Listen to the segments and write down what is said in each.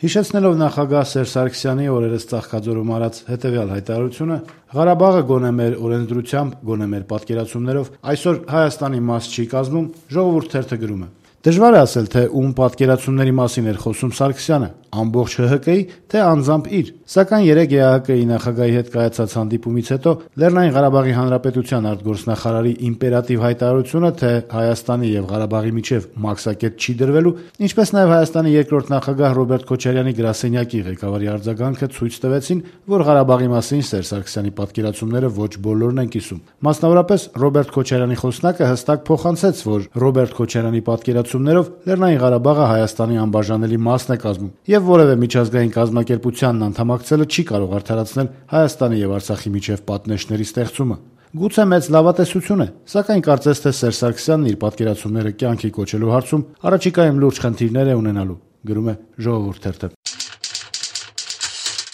Հիշեցնելով նախագահ Սերժ Սարգսյանի օրերս Ծաղկաձորում արած հետևյալ հայտարարությունը, Ղարաբաղը գոնե մեր օրենսդրությամբ, գոնե մեր պատկերացումներով այսօր Հայաստանի մաս չի կազմում, Ժողովուրդ թերթը գրում է. Դժվար է ասել, թե ում պատկերացումների մասին էր խոսում Սարգսյանը, ամբողջ ՀՀԿ-ի, թե անձամբ իր, սակայն երեկ ԵԱՀԿ-ի նախագահի հետ կայացած հանդիպումից հետո Լեռնային Ղարաբաղի Հանրապետության արտգործնախարարի իմպերատիվ հայտարարությունը, թե Հայաստանի եւ Ղարաբաղի միջեւ մաքսակետ չի դրվելու, ինչպես նաեւ Հայաստանի երկրորդ նախագահ Ռոբերտ Քոչարյանի գրասենյակի ղեկավարի արձագանքը ցույց տվեցին, որ Ղարաբաղի մասին Սերժ Սարգսյանի պատկերացումները ոչ բոլորն են կիսում։ Մասնավորապես Ռոբերտ Քոչարյանի խոսնակը հստակ փոխանցեց, որ Ռոբերտ Քոչարյանի պատկերացումներով Լեռնային Ղարաբաղը Հայաստանի անբաժանելի մասն է կազմում եւ որևէ միջազգային կազմակերպությանն անդամակցելը չի կարող արդարացնել Հայաստանի եւ Արցախի միջեւ պատնեշների ստեղծումը։ Գուցե մեծ լավատեսություն է, սակայն կարծես թե Սերժ Սարգսյանն իր պատկերացումները կյանքի կոչելու հարցում առաջիկայում լուրջ խնդիրներ է ունենալու, գրում է Ժողովուրդ թերթը։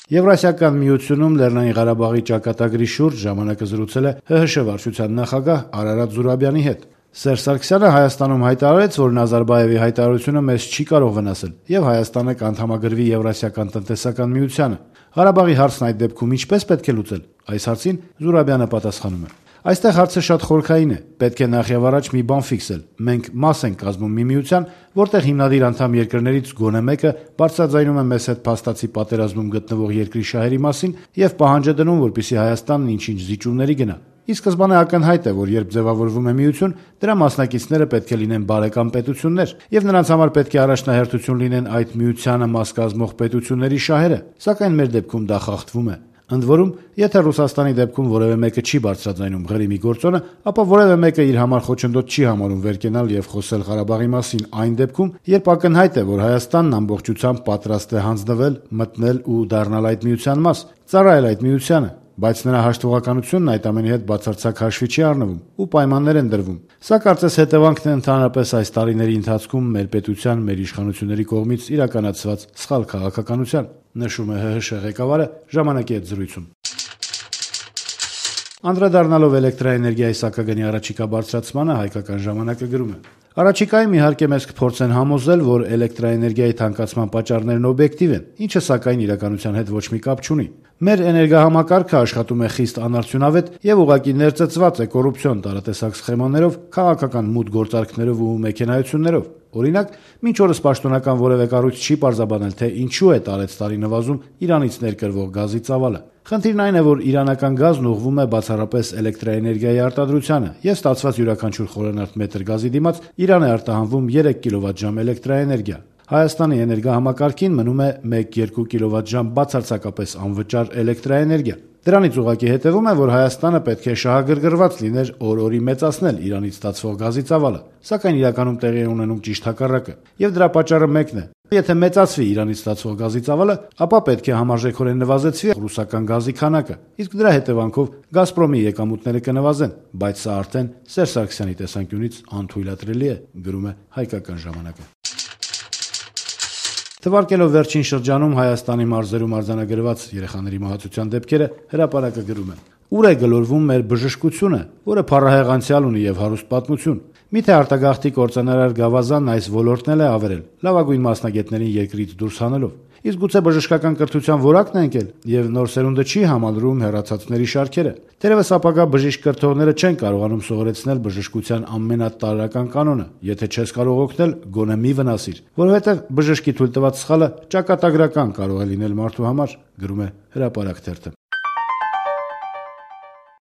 Եվրասիական միությունում Լեռնային Ղարաբաղի ճակատագրի շուրջ ժամանակը զրուցել է ՀՀՇ վարչության նախագահ Արարատ Զուրաբյանի հետ։ Սերժ Սարգսյանը Հայաստանում հայտարարեց, որ Նազարբաևի հայտարարությունը մեզ չի կարող վնասել եւ Հայաստանը կանդամագրվի Եվրասիական տնտեսական միությանը։ Ղարաբաղի հարցն այդ դեպքում ինչպես պետք է լուծել։ Այս հարցին Զուրաբյանը պատասխանում է. Այստեղ հարցը շատ խորքային է, պետք է նախևառաջ մի բան ֆիքսել։ Մենք մաս ենք կազմում մի միության, որտեղ հիմնադիր անդամ երկրներից գոնե մեկը բարձրաձայնում է մեզ հետ փաստացի պատերազմում գտնվող երկրի շահերի մասին եւ պահանջ է դնում, որպեսզի Հայաստանն ինչ-ինչ զիջումների գնա։ Ի սկզբանե ակնհայտ է, որ երբ ձևավորվում է միություն, դրա մասնակիցները պետք է լինեն բարեկամ պետություններ, եւ նրանց համար պետք է առաջնահերթություն լինեն այդ միությանը մաս կազմող պետությունների շահերը, սակայն մեր դեպքում դա խախտվում է։ Ընդ որում, եթե Ռուսաստանի դեպքում որևէ մեկը չի բարձրաձայնում Ղրիմի գործոնը, ապա որևէ մեկը իր համար խոչընդոտ չի համարում վեր կենալ եւ խոսել Ղարաբաղի մասին այն դեպքում, երբ ակնհայտ է, որ Հայաստանն ամբողջությամբ պատրաստ է հանձնվել, մտնել ու դառնալ այդ միության մաս, ծառայել այդ միությանը, բայց նրա հաշտվողականությունն այդ ամենի հետ բացարձակ հաշվի չի առնվում ու պայմաններ են դրվում։ Սա կարծես հետևանքն է ընդհանրապես այս տարիների ընթացքում մեր պետության, մեր իշխանությունների կողմից իրականացված սխալ քաղաքականության, նշում է ՀՀՇ ղեկավարը ժամանակի հետ զրույցում։ Անդրադառնալով էլեկտրաէներգիայի սակագնի առաջիկա բարձրացմանը հայկական ժամանակը գրում է. Առաջիկայում իհարկե մեզ կփորձեն համոզել, որ էլեկտրաէներգիայի թանկացման պատճառներն օբյեկտիվ են, ինչը սակայն իրականության հետ ոչ մի կապ չունի։ Մեր էներգահամակարգը աշխատում է խիստ անարդյունավետ եւ ուղղակի ներծծված է կոռուպցիոն տարատեսակ սխեմաներով, քաղաքական մութ գործարքներով ու մեքենայություններով։ Օրինակ, մինչ օրս պաշտոնական որևէ կառույց չի պարզաբանել, թե ինչու է տարեցտարի նվազում Իրանից ներկրվող գազի ծավալը։ Խնդիրն այն է, որ իրանական գազն ուղղվում է բացառապես էլեկտրաէներգիայի արտադրությանը եւ ստացված յուրաքանչյուր խորանարդ մետր գազի դիմաց Իրան է արտահանվում 3 կիլովատժամ էլեկտրաէներգիա։ Հայաստանի էներգահամակարգին մնում է 1-2 կիլովատժամ բացարձակապես անվճար էլեկտրաէներգիա։ Դրանից ուղղակի հետևում է, որ Հայաստանը պետք է շահագրգռված լիներ օր-օրի մեծացնել Իրանից ստացվող գազի ծավալը, սակայն իրականում տեղի է ունենում ճիշտ հակառակը։ Եվ դրա պատճառը մեկն է. եթե մեծացվի Իրանից ստացվող գազի ծավալը, ապա պետք է համարժեքորեն նվազեցվի ռուսական գազի քանակը, իսկ դրա հետևանքով Գազպրոմի եկամուտները կնվազեն, բայց սա արդեն Սերժ Սարգսյանի տեսանկյունից անթույլատրելի է, գրում է հայկական ժամանակը։ Թվարկելով վերջին շրջանում Հայաստանի մարզերում արձանագրված երեխաների մահացության դեպքերը, հրապարակը գրում է. Ուր է գլորվում մեր բժշկությունը, որը փառահեղ անցյալ ունի եւ հարուստ պատմություն։ Միթե արտագաղթի կործանարար Գավազանն այս ոլորտն էլ է ավերել, լավագույն մասնագետներին երկրից դուրս հանելով։ Իսկ գուցե բժշկական կրթության որակն է ընկել եւ նոր սերունդը չի համալրում հեռացածների շարքերը։ Թերևս ապագա բժիշկ կրթողները չեն կարողանում սովորեցնել բժշկության ամենատարրական կանոնը. եթե չես կարող օգնել, գոնե մի վնասիր, որովհետեւ բժշկի թույլ տված սխալը ճակատագրական կարող է լինել մարդու համար, գրում է Հրապարակ թերթը։